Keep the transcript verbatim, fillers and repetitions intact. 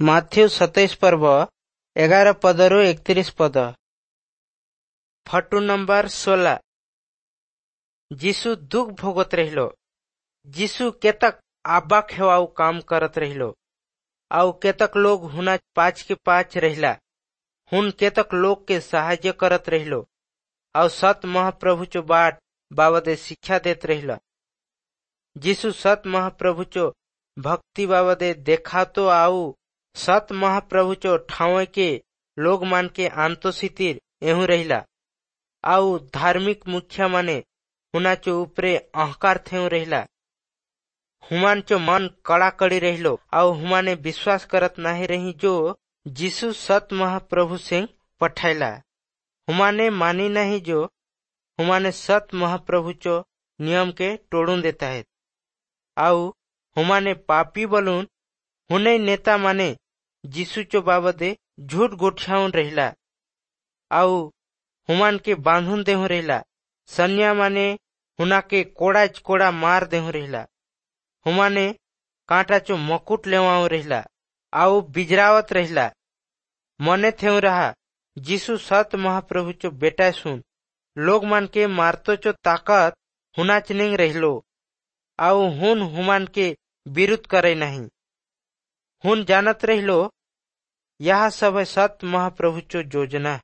Matthew ସତେଇଶ ପର୍ବ ଏଗାର ପଦରୁ ଏକତିରିଶ ପଦ। ଫଟୁ ନମ୍ବର ଷୋଲା। ଯୀଶୁ ଦୁଃଖ ଭୋଗत रहिलो। ଯୀଶୁ केतक आबाक हेवाऊ काम करत रहिलो आउ केतक लोग हुना पाँच के पाँच रहिला। हुन केतक लोग के साहाय्य करत रहिलो आउ सत महाप्रभु चो बाट बाबदे शिक्षा देत रहिला। यीशु सत महाप्रभु चो भक्ति बाबदे देखातो आउ सत महाप्रभु चो ठाव के लोग मान के आंतोसितिर एहू रहिला आउ धार्मिक मुखिया माने हुना चो उपरे अहंकार थेउ रहिला। हुमान चो मन कड़ाकड़ी रहिलो आउ हुमाने विश्वास करत नाही रही जो यीशु सत महाप्रभु सिंह पठाइला। हुमाने मानी नहीं जो हुमाने सत महाप्रभु चो नियम के तोड़ून देता है आउ हुमाने पापी बलून हुने नेता माने यीशु चो बाबदे झूठ गोठियाउन रहिला आउ हुमान के बांधुन देहु रहिला। सन्या माने हुना के कोड़ा कोड़ा मार देहु रहिला। हुमाने कांटा चो मकुट लेवाऊ रहिला आउ बिजरावत रहिला। मने थेउ रहा यीशु सत महाप्रभु चो बेटा सुन लोग मान के मारतो चो ताकत हुनाच निंग रहिलो आउ हुन हुमान के विरुद्ध करे नहीं। हुन जानत रहिलो यह सब है सत महाप्रभु चो योजना।